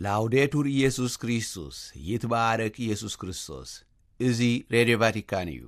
ላውዴቱር ኢየሱስ ክርስቶስ፣ ይትባረክ ኢየሱስ ክርስቶስ። እዚ ሬድዮ ቫቲካን እዩ።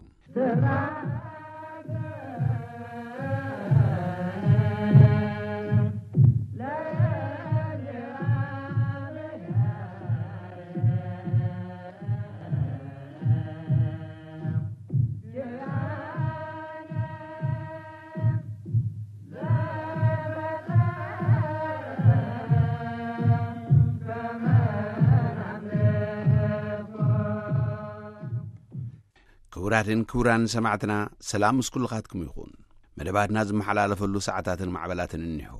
ክቡራትን ክቡራን ሰማዕትና፣ ሰላም ምስ ኩልኻትኩም ይኹን። መደባትና ዝመሓላለፈሉ ሰዓታትን ማዕበላትን እኒሆ።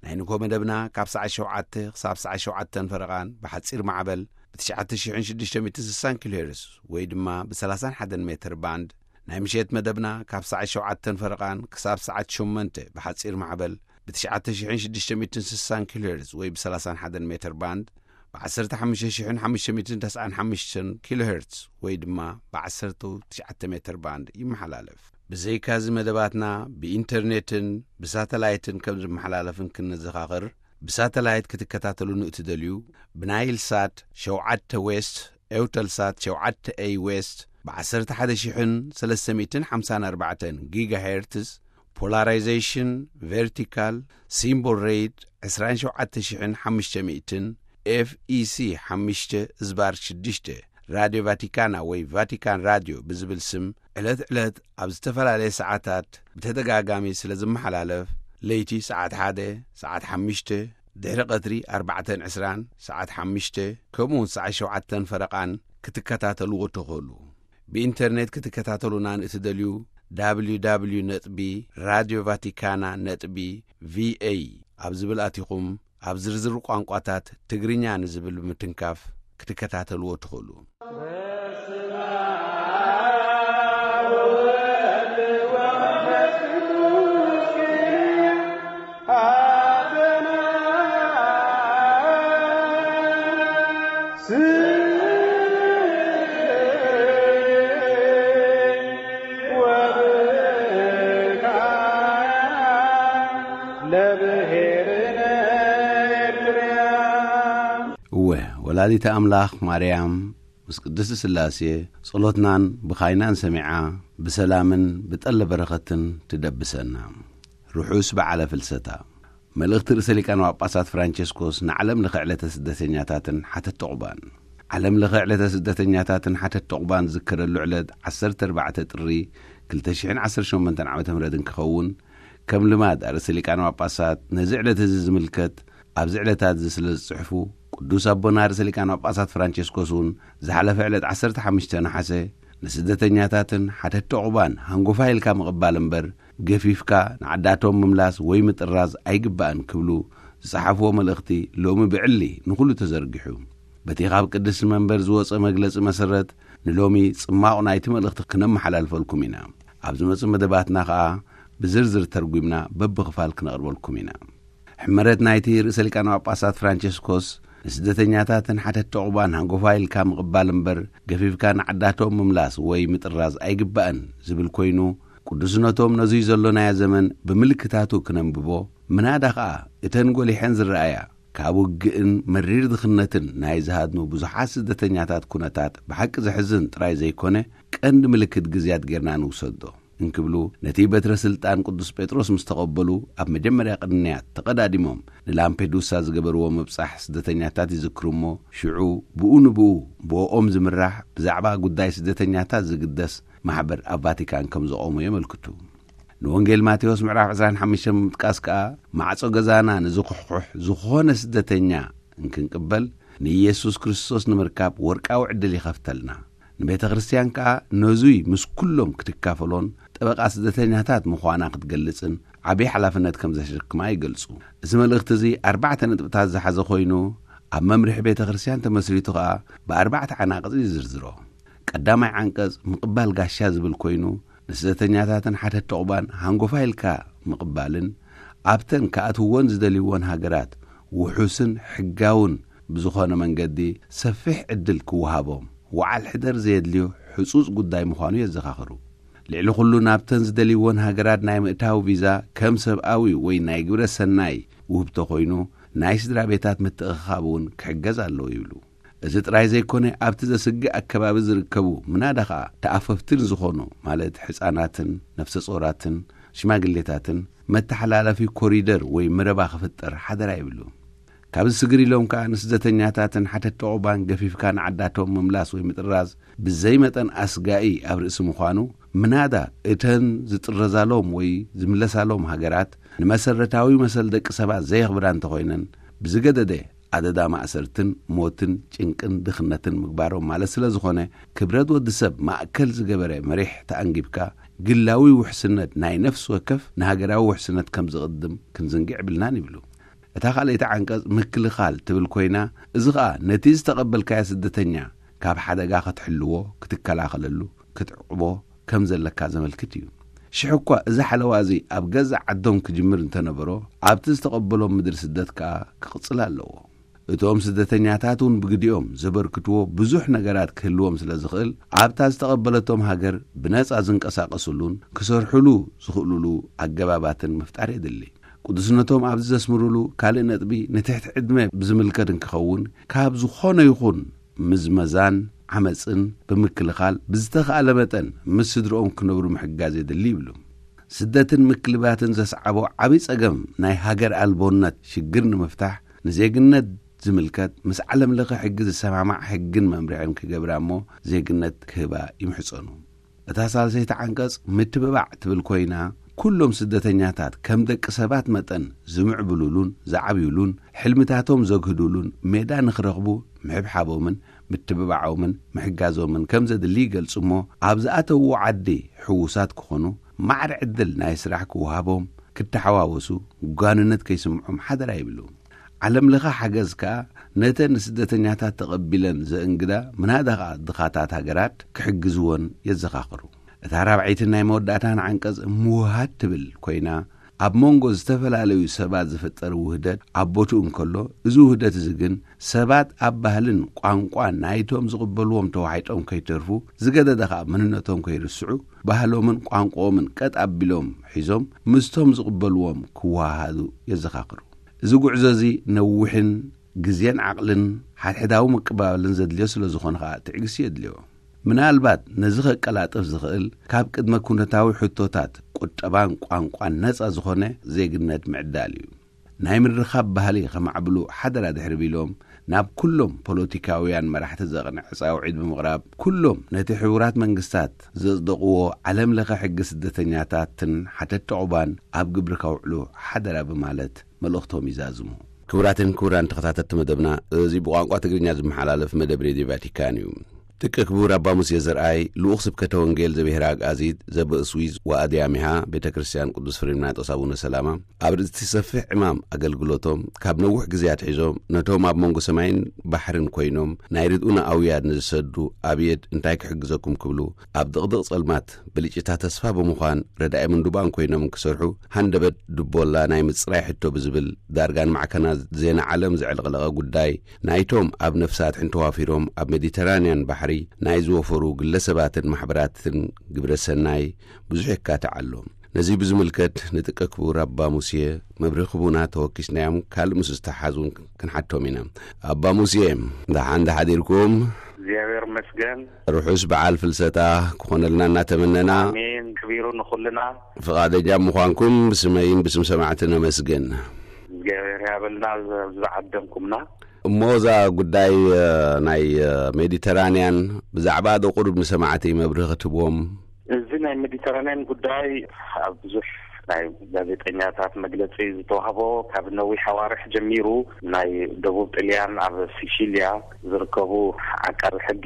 ናይ ንግሆ መደብና ካብ ሰዓት ሸውዓተ ክሳብ ሰዓት ሸውዓተን ፈረቓን ብሓጺር ማዕበል ብ ትሽዓተ ሽሕን ሽዱሽተ ሚእትን ስሳን ኪሎ ሄርዝ ወይ ድማ ብ ሰላሳን ሓደን ሜትር ባንድ፣ ናይ ምሸት መደብና ካብ ሰዓት ሸውዓተን ፈረቓን ክሳብ ሰዓት ሸሞንተ ብሓጺር ማዕበል ብ ትሽዓተ ሽሕን ሽዱሽተ ሚእትን ስሳን ኪሎ ሄርዝ ወይ ብ ሰላሳን ሓደን ሜትር ባንድ፣ ብ ዓሰርተ ሓሙሽተ ሽሕን ሓሙሽተ ሚእትን ተስዓን ሓሙሽተን ኪሎ ሄርዝ ወይ ድማ ብ ዓሰርተ ትሽዓተ ሜትር ባንድ ይመሓላለፍ። ብዘይካዚ መደባትና ብኢንተርኔትን ብሳተላይትን ከም ዝመሓላለፍን ክንዘኻኽር፣ ብሳተላይት ክትከታተሉ ንእትደልዩ፣ ብናይል ሳት ሸውዓተ ዌስት፣ ኤውተልሳት ሸውዓተ ኤይ ዌስት፣ ብ ዓሰርተ ሓደ ሽሕን ሰለስተ ሚእትን ሓምሳን ኣርባዕተን ጊጋሄርትዝ፣ ፖላራይዜሽን ቨርቲካል፣ ሲምቦል ሬት ዕስራን ሸውዓተ ሽሕን ሓሙሽተ ሚእትን፣ ኤፍ ኢ ሲ ሓሙሽተ ዝባር ሽዱሽተ፣ ራድዮ ቫቲካና ወይ ቫቲካን ራድዮ ብዝብል ስም ዕለት ዕለት ኣብ ዝተፈላለየ ሰዓታት ብተደጋጋሚ ስለ ዝመሓላለፍ፣ ለይቲ ሰዓት ሓደ፣ ሰዓት ሓሙሽተ፣ ድሕሪ ቀትሪ ኣርባዕተን ዕስራን፣ ሰዓት ሓሙሽተ፣ ከምኡ እውን ሰዓት ሸውዓተን ፈረቓን ክትከታተልዎ ትኽእሉ። ብኢንተርኔት ክትከታተሉና ንእትደልዩ፣ www ነጥቢ ራድዮ ቫቲካና ነጥቢ ቪኤ ኣብ ዝብል ኣቲኹም፣ ኣብ ዝርዝር ቋንቋታት ትግርኛ ንዝብል ብምትንካፍ ክትከታተልዎ ትኽእሉ። እወ፣ ወላዲተ ኣምላኽ ማርያም ምስ ቅድስቲ ስላሴ ጸሎትናን ብኻይናን ሰሚዓ ብሰላምን ብጠለ በረኸትን ትደብሰና። ርሑስ በዓለ ፍልሰታ። መልእኽቲ ርእሰ ሊቃነ ጳጳሳት ፍራንቸስኮስ ንዓለም ለኸ ዕለተ ስደተኛታትን ሓተት ዑቕባን። ዓለም ለኸ ዕለተ ስደተኛታትን ሓተት ዑቕባን ዝከረሉ ዕለት ዓሰርተ ኣርባዕተ ጥሪ ክልተ ሽሕን ዓሰርተ ሸሞንተን ዓመተ ምህረት እንክኸውን፣ ከም ልማድ ኣርእስተ ሊቃነ ጳጳሳት ነዚ ዕለት እዚ ዝምልከት ኣብዚ ዕለታት እዚ ስለ ዝጽሕፉ፣ ቅዱስ ኣቦና ርእሰ ሊቃነ ጳጳሳት ፍራንቸስኮስ እውን ዝሓለፈ ዕለት ዓሰርተ ሓሙሽተ ነሓሰ ንስደተኛታትን ሓተቲ ዑቕባን ሃንጎፋ ኢልካ ምቕባል እምበር፣ ገፊፍካ ንዓዳቶም ምምላስ ወይ ምጥራዝ ኣይግባእን ክብሉ ዝጸሓፍዎ መልእኽቲ ሎሚ ብዕሊ ንኹሉ ተዘርጊሑ። በቲ ካብ ቅድስቲ መንበር ዝወጸ መግለጺ መሰረት፣ ንሎሚ ጽማቕ ናይቲ መልእኽቲ ክነመሓላልፈልኩም ኢና። ኣብ ዝመጽእ መደባትና ኸኣ ብዝርዝር ተርጒምና በብኽፋል ክነቕርበልኩም ኢና። ሕመረት ናይቲ ርእሰ ሊቃነ ጳጳሳት ፍራንቸስኮስ ንስደተኛታትን ሓተቲ ዑቕባን ሃንጎፋ ኢልካ ምቕባል እምበር፣ ገፊፍካ ንዓዳቶም ምምላስ ወይ ምጥራዝ ኣይግባእን ዝብል ኮይኑ፣ ቅዱስነቶም ነዙይ ዘሎናዮ ዘመን ብምልክታቱ ክነንብቦ፣ ምናዳ ኸኣ እተን ጐሊሐን ዝረኣያ ካብ ውግእን መሪር ድኽነትን ናይ ዝሃድኑ ብዙሓት ስደተኛታት ኩነታት ብሓቂ ዘሕዝን ጥራይ ዘይኮነ፣ ቀንዲ ምልክት ግዝያት ጌርና ንውሰዶ እንክብሉ፣ ነቲ በትረ ስልጣን ቅዱስ ጴጥሮስ ምስ ተቐበሉ፣ ኣብ መጀመርያ ቅንያት ተቐዳዲሞም ንላምፔዱሳ ዝገበርዎ ምብጻሕ ስደተኛታት ይዝክሩ እሞ፣ ሽዑ ብኡ ንብኡ ብኦም ዝምራሕ ብዛዕባ ጉዳይ ስደተኛታት ዝግደስ ማሕበር ኣብ ቫቲካን ከም ዘቖሙ የመልክቱ። ንወንጌል ማቴዎስ ምዕራፍ ዕስራን ሓሙሽተን ብምጥቃስ ከኣ፣ ማዕጾ ገዛና ንዝኹሕኩሕ ዝኾነ ስደተኛ እንክንቅበል፣ ንኢየሱስ ክርስቶስ ንምርካብ ወርቃዊ ዕድል ይኸፍተልና። ንቤተ ክርስቲያን ከኣ ነዙይ ምስ ኩሎም ክትካፈሎን ጠበቃ ስደተኛታት ምዃና ክትገልጽን ዓብዪ ሓላፍነት ከም ዘሸክማ ይገልጹ። እዚ መልእኽቲ እዚ ኣርባዕተ ነጥብታት ዝሓዘ ኮይኑ፣ ኣብ መምርሒ ቤተ ክርስቲያን ተመስሪቱ ከኣ ብኣርባዕተ ዓናቕጽ ይዝርዝሮ። ቀዳማይ ዓንቀጽ ምቕባል ጋሻ ዝብል ኮይኑ፣ ንስደተኛታትን ሓተቲ ዑቕባን ሃንጎፋ ኢልካ ምቕባልን ኣብተን ክኣትውወን ዝደልይወን ሃገራት ውሑስን ሕጋውን ብዝኾነ መንገዲ ሰፊሕ ዕድል ክወሃቦም፣ ወዓል ሕደር ዘየድልዮ ሕጹጽ ጉዳይ ምዃኑ የዘኻኽሩ። ልዕሊ ኩሉ ናብተን ዝደልይወን ሃገራት ናይ ምእታው ቪዛ ከም ሰብኣዊ ወይ ናይ ግብረ ሰናይ ውህብቶ ኮይኑ፣ ናይ ስድራ ቤታት ምትእኽኻብ እውን ክሕገዝ ኣለዎ ይብሉ። እዚ ጥራይ ዘይኮነ፣ ኣብቲ ዘስግእ ኣከባቢ ዝርከቡ፣ ምናዳ ኸኣ ተኣፈፍትን ዝኾኑ፣ ማለት ሕጻናትን ነፍሰ ጾራትን ሽማግሌታትን፣ መተሓላለፊ ኮሪደር ወይ መረባ ክፍጠር ሓደራ ይብሉ። ካብዚ ስግር ኢሎም ከኣ ንስደተኛታትን ሓተቲ ዑቕባን ገፊፍካ ንዓዳቶም ምምላስ ወይ ምጥራዝ ብዘይ መጠን ኣስጋኢ ኣብ ርእሲ ምዃኑ፣ ምናዳ እተን ዝጥረዛሎም ወይ ዝምለሳሎም ሃገራት ንመሰረታዊ መሰል ደቂ ሰባት ዘየኽብራ እንተኾይነን፣ ብዝገደደ ኣደዳ ማእሰርትን ሞትን ጭንቅን ድኽነትን ምግባሮም ማለት ስለ ዝኾነ፣ ክብረት ወዲ ሰብ ማእከል ዝገበረ መሪሕ ተኣንጊብካ፣ ግላዊ ውሕስነት ናይ ነፍሲ ወከፍ ንሃገራዊ ውሕስነት ከም ዝቕድም ክንዝንግዕ የብልናን ይብሉ። እታ ካልኣይቲ ዓንቀጽ ምክልኻል ትብል ኮይና፣ እዚ ኸኣ ነቲ ዝተቐበልካዮ ስደተኛ ካብ ሓደጋ ክትሕልዎ፣ ክትከላኸለሉ፣ ክትዕቕቦ ከም ዘለካ ዘመልክት እዩ። ሽሕ እኳ እዚ ሓለዋ እዚ ኣብ ገዛእ ዓዶም ክጅምር እንተነበሮ፣ ኣብቲ ዝተቐበሎም ምድሪ ስደት ከኣ ክቕጽል ኣለዎ። እቶም ስደተኛታት እውን ብግዲኦም ዘበርክትዎ ብዙሕ ነገራት ክህልዎም ስለ ዝኽእል፣ ኣብታ ዝተቐበለቶም ሃገር ብነጻ ዝንቀሳቐስሉን ክሰርሕሉ ዝኽእሉሉ ኣገባባትን ምፍጣር የድሊ። ቅዱስነቶም ኣብዚ ዘስምሩሉ ካልእ ነጥቢ፣ ንትሕቲ ዕድመ ብዝምልከት እንክኸውን፣ ካብ ዝኾነ ይኹን ምዝመዛን ዓመጽን ብምክልኻል፣ ብዝተኻእለ መጠን ምስ ስድርኦም ክነብሩ ምሕጋዝ የድሊ ይብሉ። ስደትን ምክልባትን ዘስዓቦ ዓቢ ጸገም ናይ ሃገር ኣልቦነት ሽግር ንምፍታሕ፣ ንዜግነት ዝምልከት ምስ ዓለም ለኸ ሕጊ ዝሰማማዕ ሕግን መምርሕን ክገብራ እሞ፣ ዜግነት ክህባ ይምሕጸኑ። እታ ሳልሰይቲ ዓንቀጽ ምትብባዕ ትብል ኮይና፣ ኩሎም ስደተኛታት ከም ደቂ ሰባት መጠን ዝምዕብሉሉን ዝዓብዩሉን፣ ሕልምታቶም ዘግህዱሉን ሜዳ ንኽረኽቡ ምሕብሓቦምን ምትብባዖምን ምሕጋዞምን ከም ዘድሊ ይገልጹ እሞ፣ ኣብ ዝኣተውዎ ዓዲ ሕዉሳት ክኾኑ፣ ማዕረ ዕድል ናይ ስራሕ ክወሃቦም፣ ክተሓዋወሱ፣ ጓንነት ከይስምዖም ሓደራ ይብሉ። ዓለም ለኸ ሓገዝ ከኣ ነተን ንስደተኛታት ተቐቢለን ዘእንግዳ፣ ምናዳ ኸኣ ድኻታት ሃገራት ክሕግዝወን የዘኻኽሩ። እታ ራብዐይትን ናይ መወዳእታን ዓንቀጽ ምውሃድ ትብል ኮይና፣ ኣብ መንጎ ዝተፈላለዩ ሰባት ዝፍጠር ውህደት ኣብ ቦትኡ እንከሎ፣ እዚ ውህደት እዚ ግን ሰባት ኣብ ባህልን ቋንቋን ናይቶም ዝቕበልዎም ተዋሒጦም ከይተርፉ፣ ዝገደደ ኸኣ መንነቶም ከይርስዑ፣ ባህሎምን ቋንቋኦምን ቀጥ ኣቢሎም ሒዞም ምስቶም ዝቕበልዎም ክወሃሃዱ የዘኻኽሩ። እዚ ጉዕዞ እዚ ነዊሕን ግዜን ዓቕልን ሓድሕዳዊ ምቅብባልን ዘድልዮ ስለ ዝኾነ ኸኣ ትዕግስቲ የድልዮ። ምናልባት ነዚ ከቀላጥፍ ዝኽእል ካብ ቅድመ ኩነታዊ ሕቶታት ቁጠባን ቋንቋን ነጻ ዝኾነ ዜግነት ምዕዳል እዩ። ናይ ምርኻብ ባህሊ ከማዕብሉ ሓደራ ድሕሪ ቢሎም፣ ናብ ኩሎም ፖለቲካውያን መራሕቲ ዘቕንዕ ጻውዒት ብምቕራብ፣ ኩሎም ነቲ ሕቡራት መንግስታት ዘጽደቕዎ ዓለም ለኸ ሕጊ ስደተኛታትን ሓተቲ ዑቕባን ኣብ ግብሪ ከውዕሉ ሓደራ ብማለት መልእኽቶም ይዛዝሙ። ክቡራትን ክቡራን ተኸታተልቲ መደብና፣ እዚ ብቋንቋ ትግርኛ ዝመሓላለፍ መደብ ሬድዮ ቫቲካን እዩ። ደቂ ክቡር ኣባ ሙሴ ዘርኣይ፣ ልኡኽ ስብከተ ወንጌል ዘብሔረ ኣግኣዚት ዘበእስዊዝ ወኣድያሚሃ ቤተ ክርስቲያን ቅዱስ ፍሬምናጦስ ኣቡነ ሰላማ፣ ኣብ ርእሲ ሰፊሕ ዕማም ኣገልግሎቶም፣ ካብ ነዊሕ ግዜ ኣትሒዞም ነቶም ኣብ መንጎ ሰማይን ባሕርን ኮይኖም ናይ ርድኡና ኣውያት ንዝሰዱ ኣብየት እንታይ ክሕግዘኩም ክብሉ፣ ኣብ ድቕድቕ ጸልማት ብልጭታ ተስፋ ብምዃን ረዳኢ ምንዱባን ኮይኖም ክሰርሑ፣ ሃንደበት ድቦላ ናይ ምጽራይ ሕቶ ብዝብል ዳርጋ ንማዕከናት ዜና ዓለም ዘዕለቕለቐ ጉዳይ፣ ናይቶም ኣብ ነፍሲ ኣድሕን ተዋፊሮም ኣብ ሜዲተራንያን ባሕሪ ናይ ዝወፈሩ ግለሰባትን ማሕበራትን ግብረ ሰናይ ብዙሕ የካትዕ ኣሎ። ነዚ ብዝምልከት ንጥቀ ክቡር ኣባ ሙሴ መብርሂ ክቡና ተወኪስናዮም ካልእ ምስ ዝተሓዙን ክንሓቶም ኢና። ኣባ ሙሴ፣ ደሓን ዶ ሓዲርኩም? እግዚኣብሔር ይመስገን። ርሑስ በዓል ፍልሰታ ክኾነልና እናተመነና፣ ኣሜን። ክቢሩ ንኹልና። ፍቓደኛ ምዃንኩም ብስመይን ብስም ሰማዕቲ ነመስግን። እግዚኣብሔር ያበልና፣ ዝዓደምኩምና። እሞ እዛ ጉዳይ፣ እ፣ ናይ፣ እ፣ ሜዲተራንያን ብዛዕባ ዶ ቁሩብ ንሰማዕቲ መብርሂ ክትህብዎም? እዚ ናይ ሜዲተራንያን ጉዳይ ኣብ ብዙሕ ናይ ጋዜጠኛታት መግለጺ ዝተዋህቦ፣ ካብ ነዊሕ ኣዋርሕ ጀሚሩ ናይ ደቡብ ጥልያን ኣብ ሲሲልያ ዝርከቡ ዓቃቢ ሕጊ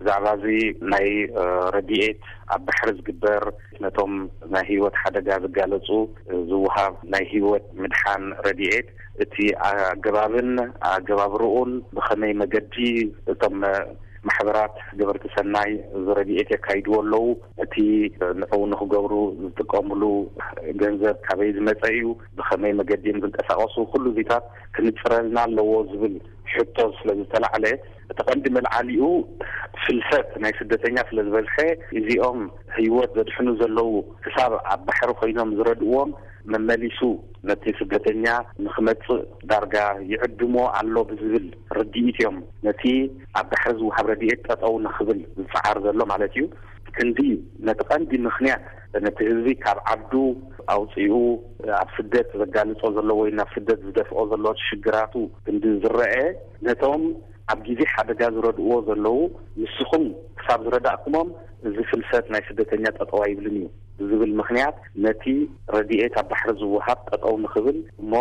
ብዛዕባ እዚ ናይ፣ እ፣ ረድኤት ኣብ ባሕሪ ዝግበር ነቶም ናይ ህይወት ሓደጋ ዝጋለጹ ዝወሃብ ናይ ህይወት ምድሓን ረድኤት እቲ ኣገባብን ኣገባብርኡን ብኸመይ መገዲ እቶም ማሕበራት ገበርቲ ሰናይ እዚ ረድኤት የካይድዎ ኣለዉ፣ እቲ ንዕኡ ንኽገብሩ ዝጥቀምሉ ገንዘብ ካበይ ዝመጸ እዩ፣ ብኸመይ መገዲ እዮም ዝንቀሳቐሱ፣ ኩሉ እዚታት ክንጽረልና ኣለዎ ዝብል ሕቶ ስለ ዝተላዕለ፣ እቲ ቀንዲ መልዓሊኡ ፍልሰት ናይ ስደተኛ ስለ ዝበዝሐ፣ እዚኦም ህይወት ዘድሕኑ ዘለዉ ክሳብ ኣብ ባሕሪ ኮይኖም ዝረድእዎም መመሊሱ ነቲ ስደተኛ ንክመጽእ ዳርጋ ይዕድሞ ኣሎ ብዝብል ርድኢት እዮም ነቲ ኣብ ባሕሪ ዝወሃብ ረድኤት ጠጠው ንክብል ዝጸዓር ዘሎ ማለት እዩ። ክንዲ ነቲ ቀንዲ ምኽንያት ነቲ ህዝቢ ካብ ዓዱ ኣውጺኡ ኣብ ስደት ዘጋልጾ ዘሎ ወይ ናብ ስደት ዝደፍኦ ዘሎ ሽግራቱ ክንዲ ዝረአ ነቶም ኣብ ግዜ ሓደጋ ዝረድእዎ ዘለዉ ንስኹም ክሳብ ዝረዳእኩሞም እዚ ፍልሰት ናይ ስደተኛ ጠጠው ኣይብልን እዩ ብዝብል ምኽንያት ነቲ ረድኤት ኣብ ባሕሪ ዝወሃብ ጠጠው ንኽብል እሞ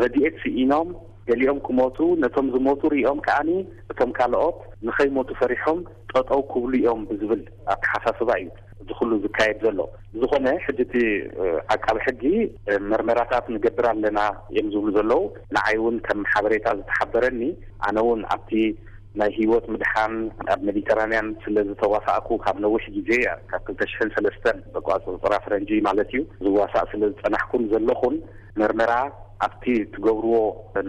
ረድኤት ስኢኖም ገሊኦም ክሞቱ ነቶም ዝሞቱ ሪኦም ከዓኒ እቶም ካልኦት ንኸይሞቱ ፈሪሖም ጠጠው ክብሉ እዮም ብዝብል ኣተሓሳስባ እዩ እዚ ኩሉ ዝካየድ ዘሎ። ብዝኾነ ሕጂ እቲ ዓቃቢ ሕጊ መርመራታት ንገብር ኣለና እዮም ዝብሉ ዘለዉ። ንዓይ እውን ከም ሓበሬታ ዝተሓበረኒ ኣነ እውን ኣብቲ ናይ ህይወት ምድሓን ኣብ ሜዲተራንያን ስለ ዝተዋሳእኩ ካብ ነዊሕ ግዜ ካብ ክልተ ሽሕን ሰለስተን በቋፅፅራ ፈረንጂ ማለት እዩ ዝዋሳእ ስለ ዝፀናሕኩን ዘለኹን መርመራ ኣብቲ ትገብርዎ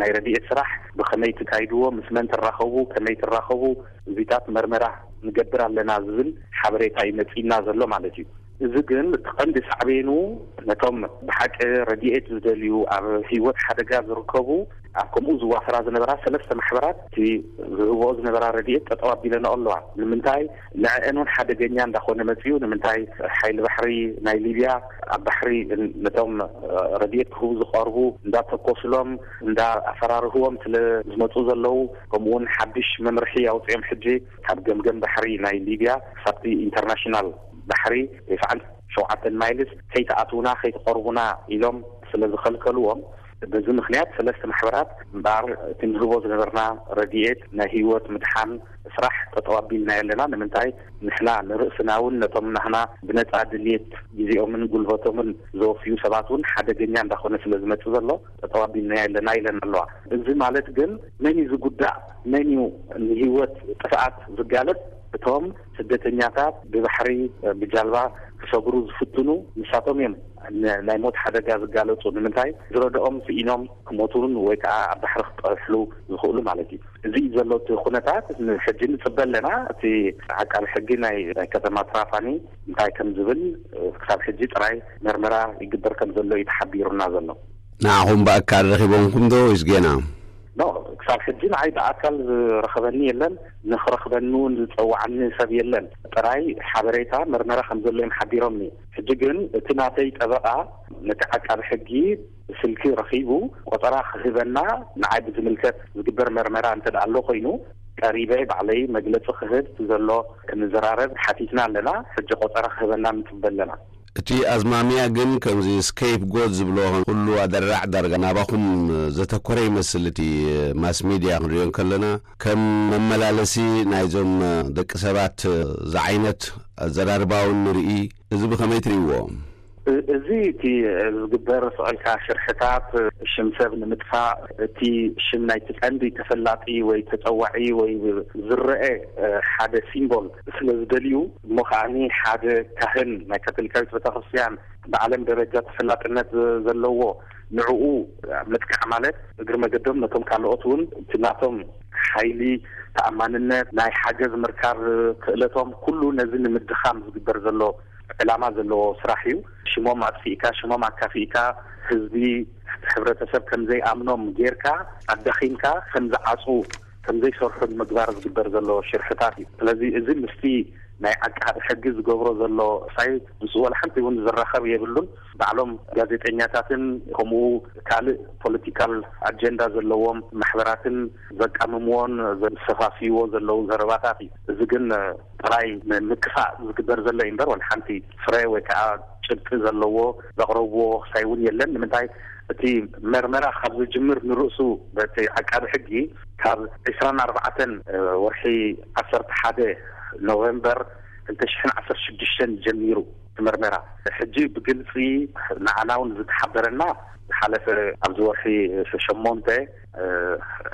ናይ ረድኤት ስራሕ ብኸመይ ትካይድዎ ምስ መን ትራኸቡ ከመይ ትራኸቡ እዚታት መርመራ ንገብር ኣለና ዝብል ሓበሬታ እዩ መፂና ዘሎ ማለት እዩ። እዚ ግን እቲ ቀንዲ ሳዕቤኑ ነቶም ብሓቂ ረድኤት ዝደልዩ ኣብ ህይወት ሓደጋ ዝርከቡ ኣብ ከምኡ ዝዋፈራ ዝነበራ ሰለስተ ማሕበራት እቲ ዝህብኦ ዝነበራ ረድኤት ጠጠው ኣቢለንኦ ኣለዋ። ንምንታይ ንዕአን እውን ሓደገኛ እንዳኾነ መፅኡ ንምንታይ ሓይሊ ባሕሪ ናይ ሊብያ ኣብ ባሕሪ ነቶም ረድኤት ክህቡ ዝቐርቡ እንዳተኮስሎም እንዳኣፈራርህዎም ስለ ዝመፁ ዘለዉ ከምኡውን ሓድሽ መምርሒ ኣውፅኦም ሕጂ ካብ ገምገም ባሕሪ ናይ ሊብያ ክሳብቲ ኢንተርናሽናል ባሕሪ ተስዓን ሸውዓተን ማይልስ ከይትኣትውና ከይትቐርቡና ኢሎም ስለ ዝኸልከልዎም በዚ ምክንያት ሰለስተ ማሕበራት እምበኣር እቲ ንህቦ ዝነበርና ረድኤት ናይ ህይወት ምድሓን ስራሕ ጠጠው ኣቢልናዮ ኣለና። ንምንታይ ንሕና ንርእስና እውን ነቶም ናህና ብነፃ ድልየት ግዜኦምን ጉልበቶምን ዘወፍዩ ሰባት እውን ሓደገኛ እንዳኾነ ስለ ዝመፅእ ዘሎ ጠጠው ኣቢልናዮ ኣለና ኢለን ኣለዋ። እዚ ማለት ግን መን እዩ ዝጉዳእ መን እዩ ንህይወት ጥፍኣት ዝጋለፅ እቶም ስደተኛታት ብባሕሪ ብጃልባ ክሰግሩ ዝፍትኑ ንሳቶም እዮም ናይ ሞት ሓደጋ ዝጋለፁ ንምንታይ ዝረድኦም ስኢኖም ክሞቱን ወይ ከዓ ኣብ ባሕሪ ክጠሕሉ ዝኽእሉ ማለት እዩ። እዚ እዩ ዘሎ እቲ ኩነታት ሕጂ ንፅበ ኣለና እቲ ዓቃቢ ሕጊ ናይ ከተማ ትራፓኒ እንታይ ከም ዝብል ክሳብ ሕጂ ጥራይ መርመራ ይግበር ከም ዘሎ እዩ ተሓቢሩና ዘሎ። ንዓኹም ብኣካል ረኺቦምኩም ዶ ወይስ ጌና? ኖ ክሳብ ሕጂ ንዓይ ብኣካል ዝረኸበኒ የለን። ንክረኽበኒ እውን ዝፀዋዓኒ ሰብ የለን። ጥራይ ሓበሬታ መርመራ ከም ዘሎ እዮም ሓቢሮምኒ። ሕጂ ግን እቲ ናተይ ጠበቓ ነቲ ዓቃቢ ሕጊ ብስልኪ ረኺቡ ቆፀራ ክህበና ንዓይ ብዝምልከት ዝግበር መርመራ እንተ ኣሎ ኮይኑ ቀሪበ ባዕለይ መግለፂ ክህብ ዘሎ ክንዘራረብ ሓቲትና ኣለና። ሕጂ ቆፀራ ክህበና ንፅበ ኣለና። እቲ ኣዝማሚያ ግን ከምዚ ስኬፕ ጎት ዝብሎ ኩሉ ኣደራዕ ዳርጋ ናባኹም ዘተኮረ ይመስል። እቲ ማስ ሚድያ ክንሪኦ ከለና ከም መመላለሲ ናይዞም ደቂ ሰባት ዝዓይነት ኣዘራርባውን ንርኢ። እዚ ብኸመይ ትርእይዎ? እዚ እቲ ዝግበር ስዕልካ ሽርሕታት ሽም ሰብ ንምጥፋእ እቲ ሽም ናይቲ ቀንዲ ተፈላጢ ወይ ተፀዋዒ ወይ ዝረአ ሓደ ሲምቦል ስለ ዝደልዩ እሞ ከዓኒ ሓደ ካህን ናይ ካቶሊካዊት ቤተክርስትያን ብዓለም ደረጃ ተፈላጥነት ዘለዎ ንዕኡ ምጥቃዕ ማለት እግሪ መገዶም ነቶም ካልኦት እውን እቲ ናቶም ሓይሊ ተኣማንነት ናይ ሓገዝ ምርካብ ክእለቶም ኩሉ ነዚ ንምድኻም ዝግበር ዘሎ ዕላማ ዘለዎ ስራሕ እዩ። ሽሞም ኣጥፊእካ ሽሞም ኣካፊእካ ህዝቢ ሕብረተሰብ ከምዘይኣምኖም ጌርካ ኣዳኺምካ ከምዝዓፁ ከምዘይሰርሑ ንምግባር ዝግበር ዘሎ ሽርሕታት እዩ። ስለዚ እዚ ምስቲ ናይ ዓቃቢ ሕጊ ዝገብሮ ዘሎ ሳይት ምስ ወላ ሓንቲ እውን ዝራኸብ የብሉን። ባዕሎም ጋዜጠኛታትን ከምኡ ካልእ ፖለቲካል ኣጀንዳ ዘለዎም ማሕበራትን ዘቃምምዎን ዘሰፋፍይዎ ዘለዉ ዘረባታት እዩ። እዚ ግን ጥራይ ምክፋእ ዝግበር ዘሎ እዩ እምበር ወላ ሓንቲ ፍረ ወይ ከዓ ጭብጢ ዘለዎ ዘቕረብዎ ክሳይ እውን የለን። ንምንታይ እቲ መርመራ ካብ ዝጅምር ንርእሱ በቲ ዓቃቢ ሕጊ ካብ ዕስራን ኣርባዕተን ወርሒ ዓሰርተ ሓደ ኖቨምበር ክልተ ሽሕን ዓሰርተ ሽዱሽተን ጀሚሩ እቲ መርመራ ሕጂ ብግልፂ ንዓና እውን ዝተሓበረና ዝሓለፈ ኣብዚ ወርሒ ሸሞንተ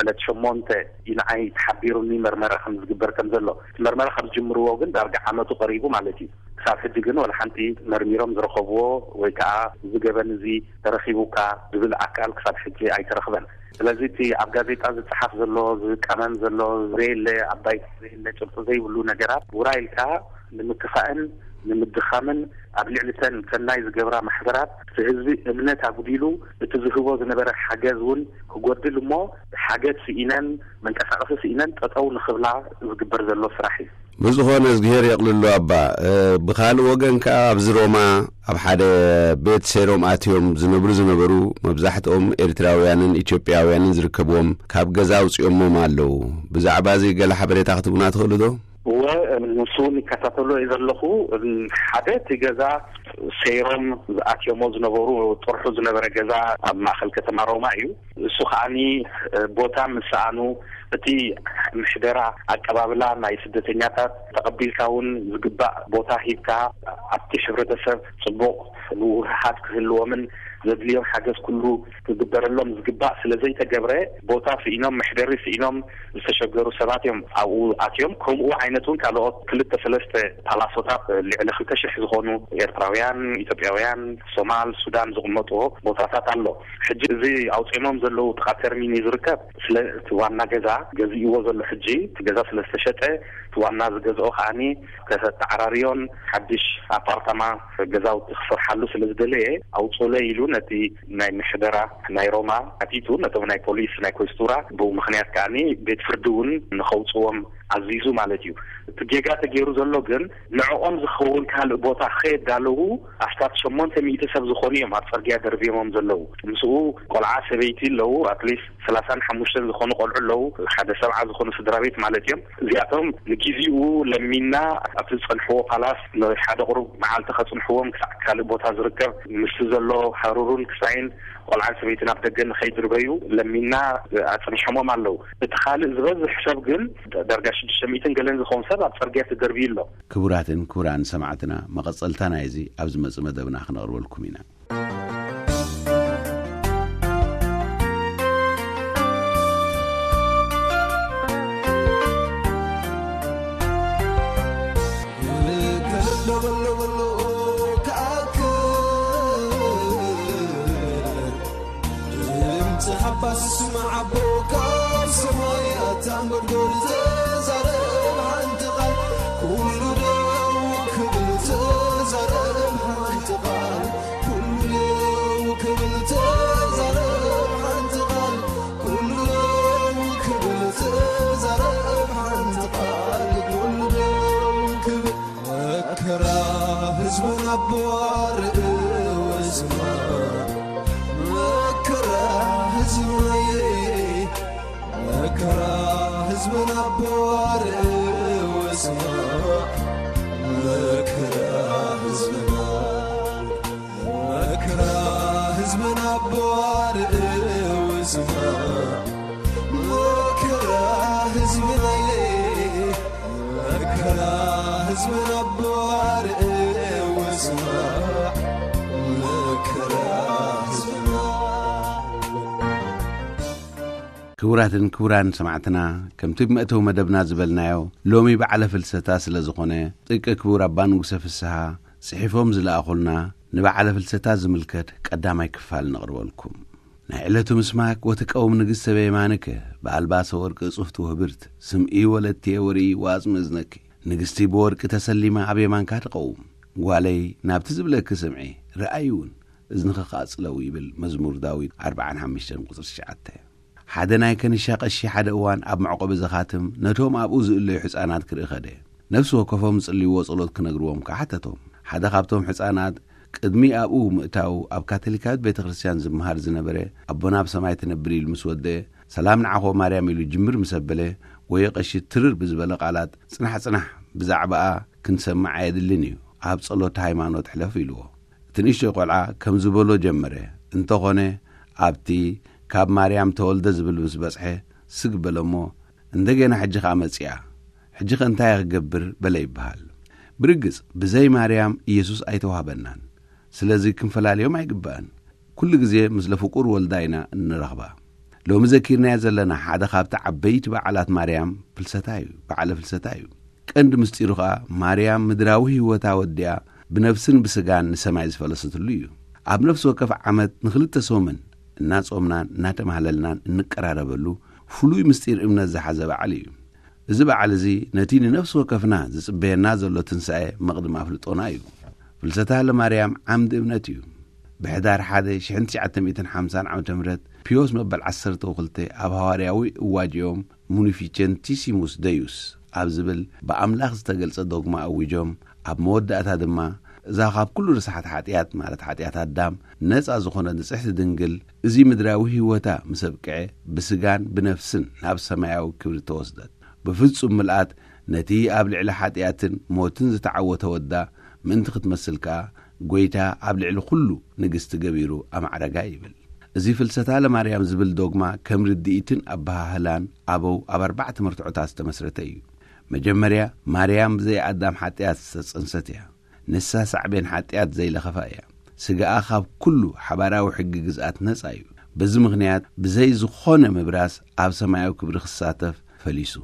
ዕለት ሸሞንተ እዩ ንዓይ ተሓቢሩኒ መርመራ ከም ዝግበር ከም ዘሎ። እቲ መርመራ ካብ ዝጅምርዎ ግን ዳርጋ ዓመቱ ቀሪቡ ማለት እዩ። ክሳብ ሕጂ ግን ወላ ሓንቲ መርሚሮም ዝረኸብዎ ወይ ከዓ እዚ ገበን እዚ ተረኺቡካ ዝብል ኣካል ክሳብ ሕጂ ኣይተረኽበን። ስለዚ እቲ ኣብ ጋዜጣ ዝፀሓፍ ዘሎ ዝቀመም ዘሎ ዘየለ ኣባይ ዘየለ ጭብጢ ዘይብሉ ነገራት ውራ ኢልካ ንምክፋእን ንምድኻምን ኣብ ልዕሊ ተን ሰናይ ዝገብራ ማሕበራት እቲ ህዝቢ እምነት ኣጉዲሉ እቲ ዝህቦ ዝነበረ ሓገዝ እውን ክጎድል እሞ ሓገዝ ስኢነን መንቀሳቐሲ ስኢነን ጠጠው ንኽብላ ዝግበር ዘሎ ስራሕ እዩ። ብዝኾነ እዝግሄር የቕልሎ ኣባ። እ፣ ብኻልእ ወገን ከኣ ኣብዚ ሮማ ኣብ ሓደ ቤት ሰይሮም ኣትዮም ዝነብሩ ዝነበሩ መብዛሕትኦም ኤርትራውያንን ኢትዮጵያውያንን ዝርከብዎም ካብ ገዛ ኣውጺኦሞም ኣለዉ። ብዛዕባ እዚ ገለ ሓበሬታ ክትቡና ትኽእሉ ዶ? እወ፣ ንሱ እውን ይከታተሎ እየ ዘለኹ። ሓደ እቲ ገዛ ሰይሮም ዝኣትዮሞ ዝነበሩ ጥርሑ ዝነበረ ገዛ ኣብ ማእኸል ከተማ ሮማ እዩ። እሱ ከዓኒ ቦታ ምስ ሰኣኑ እቲ ምሕደራ ኣቀባብላ ናይ ስደተኛታት ተቐቢልካ እውን ዝግባእ ቦታ ሂብካ ኣብቲ ሕብረተሰብ ጽቡቕ ምውህሃድ ክህልዎምን ዘድልዮም ሓገዝ ኩሉ ክግበረሎም ዝግባእ ስለ ዘይተገብረ ቦታ ስኢኖም መሕደሪ ስኢኖም ዝተሸገሩ ሰባት እዮም ኣብኡ ኣትዮም። ከምኡ ዓይነት እውን ካልኦት ክልተ ሰለስተ ፓላሶታት ልዕሊ ክልተ ሽሕ ዝኾኑ ኤርትራውያን፣ ኢትዮጵያውያን፣ ሶማል፣ ሱዳን ዝቕመጥዎ ቦታታት ኣሎ። ሕጂ እዚ ኣውፂኦሞም ዘለዉ ጥቓ ተርሚን እዩ ዝርከብ። ስለ እቲ ዋና ገዛ ገዚእዎ ዘሎ ሕጂ እቲ ገዛ ስለ ዝተሸጠ እቲ ዋና ዝገዝኦ ከዓኒ ከተተዓራርዮን ሓድሽ ኣፓርታማ ገዛውቲ ክሰርሓሉ ስለ ዝደለየ ኣውፅኡለይ ኢሉ ነቲ ናይ ምሕደራ ናይ ሮማ ሓቲቱ ነቶም ናይ ፖሊስ ናይ ኮስቱራ ብኡ ምኽንያት ከዓኒ ቤት ፍርዲ እውን ንኸውፅዎም ኣዚዙ ማለት እዩ። እቲ ጌጋ ተገይሩ ዘሎ ግን ንዕኦም ዝኸውን ካልእ ቦታ ከየዳለዉ ኣስታት ሸሞንተ ሚእቲ ሰብ ዝኾኑ እዮም ኣብ ፅርግያ ደርብዮሞም ዘለዉ። ምስኡ ቆልዓ ሰበይቲ ኣለዉ። ኣትሊስት ሰላሳን ሓሙሽተን ዝኾኑ ቆልዑ ኣለዉ። ሓደ ሰብዓ ዝኾኑ ስድራ ቤት ማለት እዮም። እዚኣቶም ንጊዜኡ ለሚና ኣብቲ ዝጸንሕዎ ፓላስ ንሓደ ቁሩብ መዓልቲ ከጽንሕዎም ክሳዕ ካልእ ቦታ ዝርከብ ምስቲ ዘሎ ሃሩሩን ክሳይን ቆልዓን ሰበይትን ኣብ ደገ ንኸይድርበዩ ለሚና ኣጽኒሖሞም ኣለዉ። እቲ ካልእ ዝበዝሕ ሰብ ግን ዳርጋ ሽዱሽተ ሚእትን ገለን ዝኸውን ሰብ ኣብ ጽርግያ ተደርብዩ ኣሎ። ክቡራትን ክቡራን ሰማዕትና፣ መቐጸልታ ናይዚ ኣብ ዝመጽእ መደብና ክነቕርበልኩም ኢና። ድምፂ ሓባስ ስማዕ ኣቦ ካብ ሰማይ ኣታ እንጎድጎድ ተዛረብ ሓንቲ ቃል ኩሉ ደው ክብል ተዛረብ ሓንቲ ቃል ኩሉ ደው ክብል ተዛረብ ሓንቲ ቃል ኩሉ ደው ክብል ተዛረብ ሓንቲ ቃል ኩሉ ደው ክብል መከራ ህዝብን ኣቦ ኣርእዎ ስማ መከራ ህዝብናየ መከራ ህዝብን ኣቦ ኣርእዎ ስማ መከራ ህዝብና መከራ ህዝብን ኣቦ ኣርእዎ ስማ መከራ ህዝብናየ መከራ ህዝብን ኣቦ ኣርእዎ ስማ መከራ ህዝብና ክቡራትን ክቡራን ሰማዕትና፣ ከምቲ ብመእተዊ መደብና ዝበልናዮ፣ ሎሚ በዓለ ፍልሰታ ስለ ዝኾነ፣ ጥቂ ክቡር ኣባ ንጉሰ ፍስሃ ጽሒፎም ዝለኣኹልና ንበዓለ ፍልሰታ ዝምልከት ቀዳማይ ክፋል ነቕርበልኩም። ናይ ዕለቱ ምስማክ ወትቀውም ንግሥተ በየማንከ በኣልባሰ ወርቅ እጹፍቲ ውህብርት ስምኢ ወለትየ ወርኢ ወኣጽሚ እዝነኪ። ንግስቲ ብወርቂ ተሰሊማ ኣብ የማንካ ትቐውም። ጓለይ ናብቲ ዝብለኪ ስምዒ፣ ረኣይ እውን እዝንኺ ክኣጽለው ይብል መዝሙር ዳዊት ኣርብዓን ሓሙሽተን ቁጽሪ ትሽዓተ። ሓደ ናይ ከንሻ ቀሺ ሓደ እዋን ኣብ መዕቆቢ ዘኻትም ነቶም ኣብኡ ዝእለዩ ሕጻናት ክርኢ ኸደ። ነፍሲ ወከፎም ዝጽልይዎ ጸሎት ክነግርዎም ከኣ ሓተቶም። ሓደ ካብቶም ሕጻናት ቅድሚ ኣብኡ ምእታው ኣብ ካቶሊካዊት ቤተ ክርስቲያን ዝመሃር ዝነበረ ኣቦና ኣብ ሰማይ ትነብር ኢሉ ምስ ወደአ፣ ሰላም ንዓኾ ማርያም ኢሉ ጅምር ምስ ኣበለ፣ ወዮ ቀሺ ትርር ብዝበለ ቃላት፣ ጽናሕ ጽናሕ፣ ብዛዕባኣ ክንሰምዕ ኣየድልን እዩ፣ ኣብ ጸሎት ሃይማኖት ሕለፍ ኢልዎ። እቲ ንእሽቶይ ቆልዓ ከም ዝበሎ ጀመረ። እንተኾነ ኣብቲ ካብ ማርያም ተወልደ ዝብል ምስ በጽሐ ስግ በለ እሞ፣ እንደገና ሕጂ ኸኣ መጺኣ። ሕጂ ኸ እንታይ እየ ክገብር? በለ ይበሃል። ብርግጽ ብዘይ ማርያም ኢየሱስ ኣይተዋህበናን። ስለዚ ክንፈላልዮም ኣይግባእን። ኩሉ ግዜ ምስለ ፍቁር ወልዳ ኢና እንረኽባ። ሎሚ ዘኪርናዮ ዘለና ሓደ ካብቲ ዓበይቲ በዓላት ማርያም ፍልሰታ እዩ፣ በዓለ ፍልሰታ እዩ። ቀንዲ ምስጢሩ ኸኣ ማርያም ምድራዊ ህይወታ ወዲኣ ብነፍስን ብስጋን ንሰማይ ዝፈለሰትሉ እዩ። ኣብ ነፍሲ ወከፍ ዓመት ንኽልተ ሰሙን እናጾምናን እናተማህለልናን እንቀራረበሉ ፍሉይ ምስጢር እምነት ዝሓዘ በዓል እዩ። እዚ በዓል እዚ ነቲ ንነፍሲ ወከፍና ዝጽበየና ዘሎ ትንሳኤ መቕድም ኣፍልጦና እዩ። ፍልሰታ ለማርያም ዓምዲ እምነት እዩ። ብሕዳር ሓደ ሺሕ ትሽዓተ ሚእትን ሓምሳን ዓመተ ምህረት ፒዮስ መበል ዓሰርተ ወክልተ ኣብ ሃዋርያዊ እዋጅኦም ሙኒፊቸንቲሲሙስ ደዩስ ኣብ ዝብል ብኣምላኽ ዝተገልጸ ዶግማ ኣዊጆም፣ ኣብ መወዳእታ ድማ እዛ ካብ ኩሉ ርስሓት ሓጢኣት፣ ማለት ሓጢኣት ኣዳም፣ ነጻ ዝኾነት ንጽሕቲ ድንግል፣ እዚ ምድራዊ ህይወታ ምስ ኣብቅዐ፣ ብስጋን ብነፍስን ናብ ሰማያዊ ክብሪ ተወስደት። ብፍጹም ምልኣት ነቲ ኣብ ልዕሊ ሓጢኣትን ሞትን ዝተዓወተ ወዳ ምእንቲ ክትመስል ከኣ፣ ጐይታ ኣብ ልዕሊ ኩሉ ንግስቲ ገቢሩ ኣማዕረጋ ይብል። እዚ ፍልሰታ ለማርያም ዝብል ዶግማ ከም ርድኢትን ኣበሃህላን ኣበው ኣብ ኣርባዕተ መርትዖታት ዝተመስረተ እዩ። መጀመርያ፣ ማርያም ብዘይ ኣዳም ሓጢኣት ዝተጸንሰት እያ። ንሳ ሳዕቤን ሓጢኣት ዘይለኸፋ እያ። ስጋኣ ካብ ኩሉ ሓባራዊ ሕጊ ግዝኣት ነጻ እዩ። በዚ ምኽንያት ብዘይ ዝኾነ ምብራስ ኣብ ሰማያዊ ክብሪ ክሳተፍ ፈሊሱ።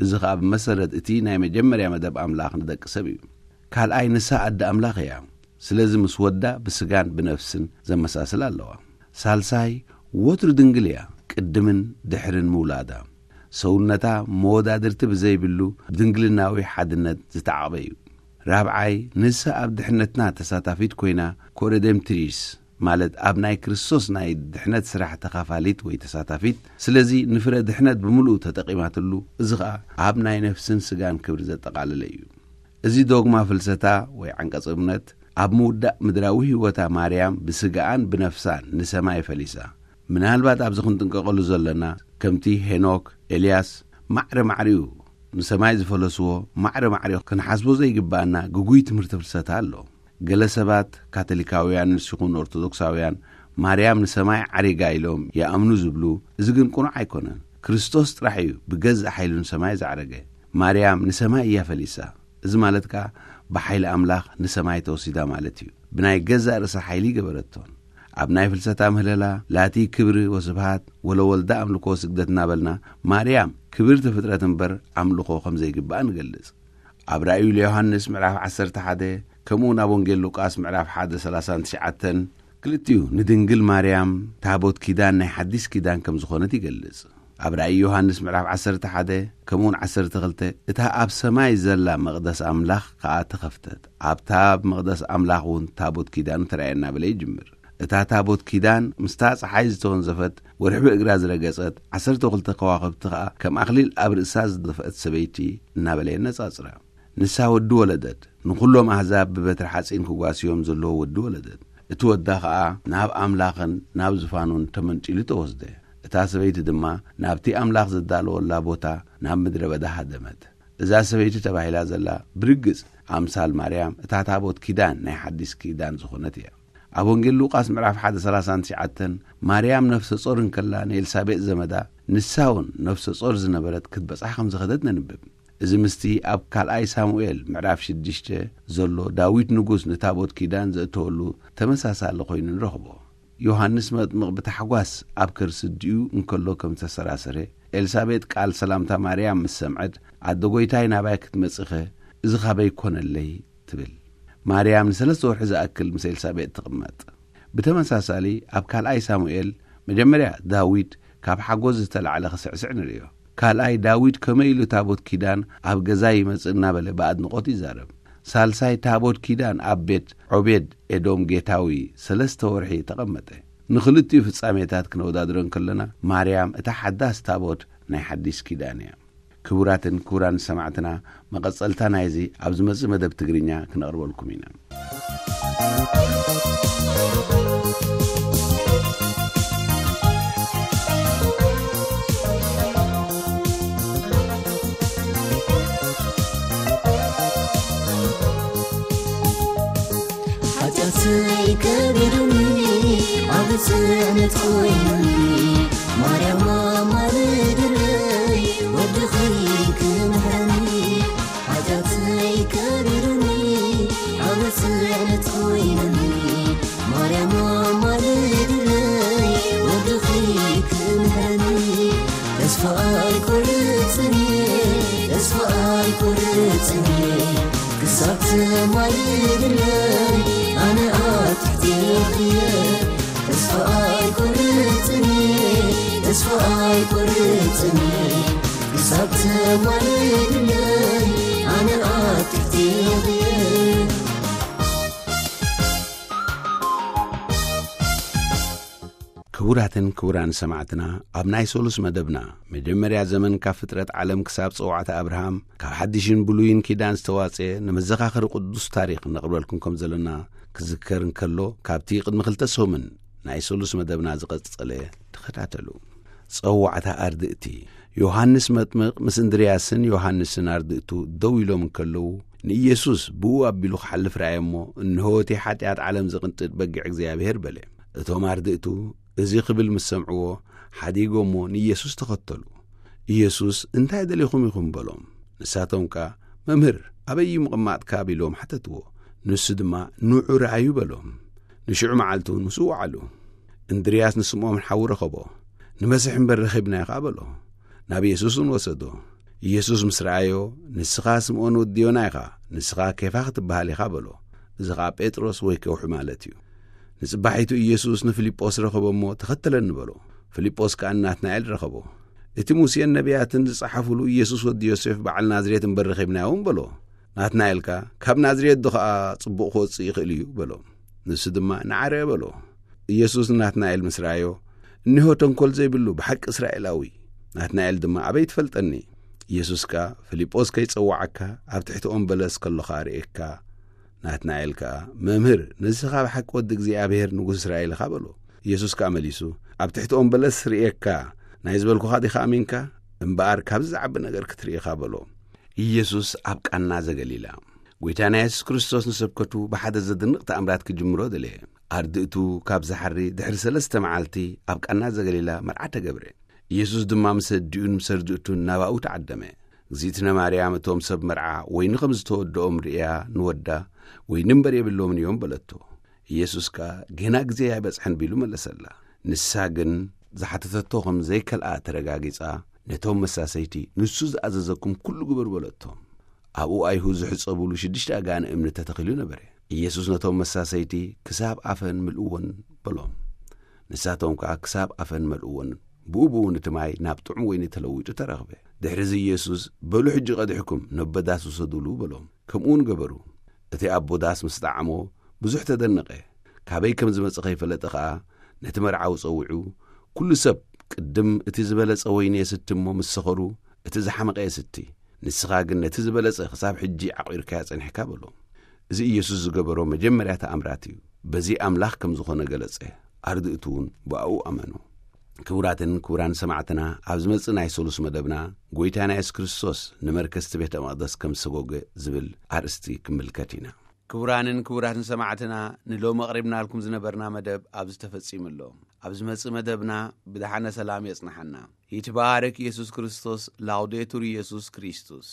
እዚ ኸኣ ብመሰረት እቲ ናይ መጀመርያ መደብ ኣምላኽ ንደቂ ሰብ እዩ። ካልኣይ፣ ንሳ ኣደ ኣምላኽ እያ። ስለዚ ምስ ወዳ ብስጋን ብነፍስን ዘመሳስል ኣለዋ። ሳልሳይ፣ ወትሩ ድንግል እያ፣ ቅድምን ድሕርን ምውላዳ። ሰውነታ መወዳድርቲ ብዘይብሉ ብድንግልናዊ ሓድነት ዝተዓቕበ እዩ። ራብዓይ፣ ንሳ ኣብ ድሕነትና ተሳታፊት ኮይና፣ ኮሬዴምትሪስ፣ ማለት ኣብ ናይ ክርስቶስ ናይ ድሕነት ስራሕ ተኻፋሊት ወይ ተሳታፊት፣ ስለዚ ንፍረ ድሕነት ብምሉኡ ተጠቒማትሉ፣ እዚ ኸኣ ኣብ ናይ ነፍስን ስጋን ክብሪ ዘጠቓለለ እዩ። እዚ ዶግማ ፍልሰታ ወይ ዓንቀጽ እምነት፣ ኣብ ምውዳእ ምድራዊ ህይወታ ማርያም ብስጋኣን ብነፍሳን ንሰማይ ፈሊሳ። ምናልባት ኣብዚ ክንጥንቀቐሉ ዘለና፣ ከምቲ ሄኖክ፣ ኤልያስ፣ ማዕረ ማዕሪኡ ንሰማይ ዝፈለስዎ፣ ማዕረ ማዕሪኡ ክንሓስቦ ዘይግባኣና ግጉይ ትምህርቲ ፍልሰታ ኣሎ። ገለ ሰባት፣ ካቶሊካውያን ንስ ይኹን ኦርቶዶክሳውያን፣ ማርያም ንሰማይ ዓሪጋ ኢሎም ይኣምኑ ዝብሉ፣ እዚ ግን ቅኑዕ ኣይኮነን። ክርስቶስ ጥራሕ እዩ ብገዛእ ሓይሉ ንሰማይ ዝዓረገ። ማርያም ንሰማይ እያ ፈሊሳ። እዚ ማለት ከኣ ብሓይሊ ኣምላኽ ንሰማይ ተወሲዳ ማለት እዩ። ብናይ ገዛእ ርእሳ ሓይሊ ገበረቶን። ኣብ ናይ ፍልሰታ ምህለላ ላቲ ክብሪ ወስብሃት ወለወልዳ ኣምልኮ ስግደት እናበልና ማርያም ክብርቲ ፍጥረት እምበር ኣምልኾ ከም ዘይግባኣ ንገልጽ። ኣብ ራእዩ ለዮሃንስ ምዕራፍ ዓሰርተ ሓደ፣ ከምኡውን ኣብ ወንጌል ሉቃስ ምዕራፍ ሓደ ሰላሳን ትሽዓተን፣ ክልቲኡ ንድንግል ማርያም ታቦት ኪዳን ናይ ሓዲስ ኪዳን ከም ዝኾነት ይገልጽ። ኣብ ራእይ ዮሃንስ ምዕራፍ ዓሰርተ ሓደ ከምኡውን ዓሰርተ ክልተ፣ እታ ኣብ ሰማይ ዘላ መቕደስ ኣምላኽ ከኣ ተኸፍተት፣ ኣብታ ኣብ መቕደስ ኣምላኽ እውን ታቦት ኪዳኑ ተራእየና በለ ይጅምር። እታ ታቦት ኪዳን ምስታ ጸሓይ ዝተወንዘፈት፣ ወርሒ ብእግራ ዝረገጸት፣ ዓሰርተ ክልተ ከዋኽብቲ ከኣ ከም ኣኽሊል ኣብ ርእሳ ዝደፍአት ሰበይቲ እናበለ የነጻጽራ። ንሳ ወዲ ወለደት፣ ንኹሎም ኣህዛብ ብበትሪ ሓጺን ክጓስዮም ዘለዎ ወዲ ወለደት። እቲ ወዳ ኸኣ ናብ ኣምላኽን ናብ ዝፋኑን ተመንጢሉ ተወስደ። እታ ሰበይቲ ድማ ናብቲ ኣምላኽ ዘዳለወላ ቦታ ናብ ምድረ በዳ ሃደመት። እዛ ሰበይቲ ተባሂላ ዘላ ብርግጽ ኣምሳል ማርያም እታ ታቦት ኪዳን ናይ ሓዲስ ኪዳን ዝኾነት እያ። ኣብ ወንጌል ሉቃስ ምዕራፍ ሓደ ሰላሳን ትሽዓተን ማርያም ነፍሰ ጾር እንከላ ንኤልሳቤጥ ዘመዳ ንሳ እውን ነፍሰ ጾር ዝነበረት ክትበጽሕ ከም ዝኸደት ነንብብ። እዚ ምስቲ ኣብ ካልኣይ ሳሙኤል ምዕራፍ ሽዱሽተ ዘሎ ዳዊት ንጉስ ንታቦት ኪዳን ዘእተወሉ ተመሳሳሊ ኮይኑ ንረኽቦ። ዮሃንስ መጥምቕ ብታሕጓስ ኣብ ከርሲ ኣዲኡ እንከሎ ከም ዝተሰራሰረ፣ ኤልሳቤጥ ቃል ሰላምታ ማርያም ምስ ሰምዐት፣ ኣደ ጐይታይ ናባይ ክትመጽኸ እዚ ኻበይ ኮነለይ ትብል። ማርያም ንሰለስተ ወርሒ ዝኣክል ምስ ኤልሳቤጥ ትቕመጥ። ብተመሳሳሊ ኣብ ካልኣይ ሳሙኤል መጀመርያ ዳዊት ካብ ሓጎስ ዝተላዕለ ክስዕስዕ ንርእዮ። ካልኣይ ዳዊት ከመይ ኢሉ ታቦት ኪዳን ኣብ ገዛ ይመጽእ እናበለ ብኣድንቖት ይዛረብ። ሳልሳይ ታቦት ኪዳን ኣብ ቤት ዖቤድ ኤዶም ጌታዊ ሰለስተ ወርሒ ተቐመጠ። ንኽልቲኡ ፍጻሜታት ክነወዳድሮ እንከለና ማርያም እታ ሓዳስ ታቦት ናይ ሓዲስ ኪዳን እያ። ክቡራትን ክቡራን ሰማዕትና፣ መቐጸልታ ናይዚ ኣብ ዝመጽእ መደብ ትግርኛ ክነቕርበልኩም ኢና። ሓጢኣተይ ከቢዱኒ፣ ዓቢ ጽዕነት ኮይኑኒ፣ ማርያም ኣማልድለይ፣ ወድኺ ክምሕረኒ። ሓጢኣተይ ከቢዱኒ፣ ዓቢ ጽዕነት ኮይኑኒ፣ ማርያም ኣማልድለይ፣ ወድኺ ክምሕረኒ። ተስፋ ኣይቆርጽን እየ፣ ተስፋ ኣይቆርጽን እየ፣ ክሳብ ትማልድለይ ኣነ ኣብ ትሕቲ እየ። ተስፋ ኣይቆርጽን እየ፣ ተስፋ ኣይቆርጽን እየ፣ ኣብቲ ወይንለይ ኣነ ኣብ ትሕቲ እየ። ክቡራትን ክቡራን ሰማዕትና፣ ኣብ ናይ ሶሉስ መደብና፣ መጀመርያ ዘመን ካብ ፍጥረት ዓለም ክሳብ ጸዋዕታ ኣብርሃም፣ ካብ ሓድሽን ብሉይን ኪዳን ዝተዋጽኤ ንመዘኻኸሪ ቅዱስ ታሪኽ ነቕርበልኩም ከም ዘለና ክዝከር እንከሎ፣ ካብቲ ቅድሚ ክልተ ሰሙን ናይ ሶሉስ መደብና ዝቐጸለ ተኸታተሉ። ጸዋዕታ ኣርድእቲ። ዮሃንስ መጥምቕ ምስ እንድርያስን ዮሃንስን ኣርድእቱ ደው ኢሎም እንከለዉ፣ ንኢየሱስ ብኡ ኣቢሉ ክሓልፍ ረኣየ እሞ፣ "እንሆ እቲ ሓጢኣት ዓለም ዝቕንጥጥ በጊዕ እግዚኣብሔር" በለ። እቶም ኣርድእቱ እዚ ክብል ምስ ሰምዕዎ፣ ሓዲጎሞ ንኢየሱስ ተኸተሉ። ኢየሱስ፣ "እንታይ ደሊኹም ኢኹም?" በሎም። ንሳቶም ከኣ፣ "መምህር፣ ኣበይ እዩ ምቕማጥካ?" ቢሎም ሓተትዎ። ንሱ ድማ፣ "ንዑ ረኣዩ" በሎም። ንሽዑ መዓልቲ እውን ምስኡ ወዓሉ። እንድርያስ ንስምዖን ሓዉ ረኸቦ። "ንመስሕ እምበር ረኺብናዮ" ኸኣ በሎ። ናብ ኢየሱስ እውን ወሰዶ። ኢየሱስ ምስ ረኣዮ፣ "ንስኻ ስምዖን ወዲ ዮና ኢኻ፣ ንስኻ ኬፋ ክትበሃል ኢኻ" በሎ። እዚ ኸኣ ጴጥሮስ ወይ ከውሒ ማለት እዩ። ንጽባሒቱ ኢየሱስ ንፊልጶስ ረኸቦ እሞ፣ "ተኸተለኒ" በሎ። ፊልጶስ ከኣ ንናትናኤል ረኸቦ። "እቲ ሙሴን ነቢያትን ዝጸሓፉሉ ኢየሱስ ወዲ ዮሴፍ በዓል ናዝሬት እምበር ረኺብናዮ እውን" በሎ። ናትናኤል ከኣ፣ "ካብ ናዝሬት ዶ ኸኣ ጽቡቕ ክወጽእ ይኽእል እዩ?" በሎ። ንሱ ድማ፣ "ንዓ ርአ" በሎ። ኢየሱስ ንናትናኤል ምስ ረኣዮ፣ "እነሆ ተንኮል ዘይብሉ ብሓቂ እስራኤላዊ።" ናትናኤል ድማ፣ "ኣበይ ትፈልጠኒ?" ኢየሱስ ከኣ፣ "ፊልጶስ ከይጸውዓካ ኣብ ትሕቲ ኦም በለስ ከሎኻ ርእየካ።" ናትናኤል ከኣ፣ "መምህር፣ ንስኻ ብሓቂ ወዲ እግዚኣብሔር ንጉስ እስራኤል ኢኻ" በሎ። ኢየሱስ ከኣ መሊሱ፣ "ኣብ ትሕቲ ኦም በለስ ርእየካ፣ ናይ ዝበልኩኻ ዲኻ ኣሚንካ? እምበኣር ካብዚ ዝዓቢ ነገር ክትርኢ ኢኻ" በሎ። ኢየሱስ ኣብ ቃና ዘገሊላ። ጐይታና የሱስ ክርስቶስ ንስብከቱ ብሓደ ዘደንቕ ተኣምራት ክጅምሮ ደለየ። ኣርድእቱ ካብ ዝሓሪ ድሕሪ ሰለስተ መዓልቲ ኣብ ቃና ዘገሊላ መርዓ ተገብረ። ኢየሱስ ድማ ምስ ኣዲኡን ምስ ኣርድእቱን ናባኡ ተዓደመ። እግዚኣብነ ማርያም እቶም ሰብ መርዓ ወይኒ ከም ዝተወድኦም ርእያ ንወዳ፣ "ወይኒ እምበር የብሎምን እዮም" በለቶ። ኢየሱስ ከኣ፣ "ጌና ግዜ ኣይበጽሐን" ቢሉ መለሰላ። ንሳ ግን ዝሓተተቶ ከም ዘይከልኣ ተረጋጊጻ፣ ነቶም መሳሰይቲ፣ "ንሱ ዝኣዘዘኩም ኩሉ ግበሩ" በለቶም። ኣብኡ ኣይሁድ ዝሕጸቡሉ ሽዱሽተ ኣጋንእ እምኒ ተተኺሉ ነበረ። ኢየሱስ ነቶም መሳሰይቲ፣ "ክሳብ ኣፈን ምልእዎን" በሎም። ንሳቶም ከኣ ክሳብ ኣፈን መልእዎን። ብኡ ብኡ እቲ ማይ ናብ ጥዑም ወይኒ ተለዊጡ ተረኽበ። ድሕሪዚ ኢየሱስ፣ "በሉ ሕጂ ቀዲሕኩም ነቦ ዳስ ውሰዱሉ" በሎም። ከምኡ እውን ገበሩ። እቲ ኣቦ ዳስ ምስ ጠዓሞ ብዙሕ ተደነቐ። ካበይ ከም ዝመጸ ከይፈለጠ ኸኣ ነቲ መርዓዊ ጸዊዑ፣ "ኩሉ ሰብ ቅድም እቲ ዝበለጸ ወይኒ የስቲ እሞ ምስ ሰኸሩ እቲ ዝሓመቐ የስቲ። ንስኻ ግን ነቲ ዝበለጸ ክሳብ ሕጂ ዓቒርካዮ ጸኒሕካ" በሎ። እዚ ኢየሱስ ዝገበሮ መጀመርያ ተኣምራት እዩ። በዚ ኣምላኽ ከም ዝኾነ ገለጸ። ኣርድእቱ እውን ብኣኡ ኣመኑ። ክቡራትን ክቡራን ሰማዕትና፣ ኣብ ዝመጽእ ናይ ሰሉስ መደብና፣ "ጐይታና የሱስ ክርስቶስ ንመርከስቲ ቤተ መቕደስ ከም ዝሰጎገ" ዝብል ኣርእስቲ ክንምልከት ኢና። ክቡራንን ክቡራትን ሰማዕትና፣ ንሎሚ ኣቕሪብናልኩም ዝነበርና መደብ ኣብዚ ተፈጺሙ ኣሎ። ኣብ ዝመጽእ መደብና ብደሓነ ሰላም የጽንሓና። ይትባረክ ኢየሱስ ክርስቶስ። ላውዴቱር ኢየሱስ ክርስቶስ።